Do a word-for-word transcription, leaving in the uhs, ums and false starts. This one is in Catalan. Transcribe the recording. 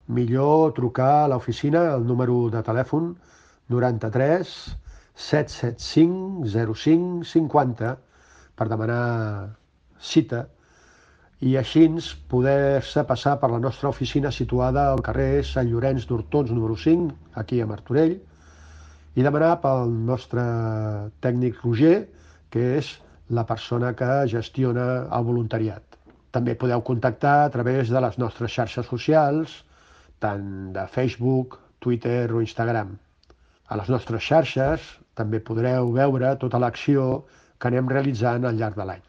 millor trucar a l'oficina al número de telèfon noranta-tres set set cinc zero cinc cinquanta per demanar cita i així poder-se passar per la nostra oficina situada al carrer Sant Llorenç d'Hortons número cinc, aquí a Martorell, i demanar pel nostre tècnic Roger, que és la persona que gestiona el voluntariat. També podeu contactar a través de les nostres xarxes socials, tant de Facebook, Twitter o Instagram. A les nostres xarxes també podreu veure tota l'acció que anem realitzant al llarg de l'any.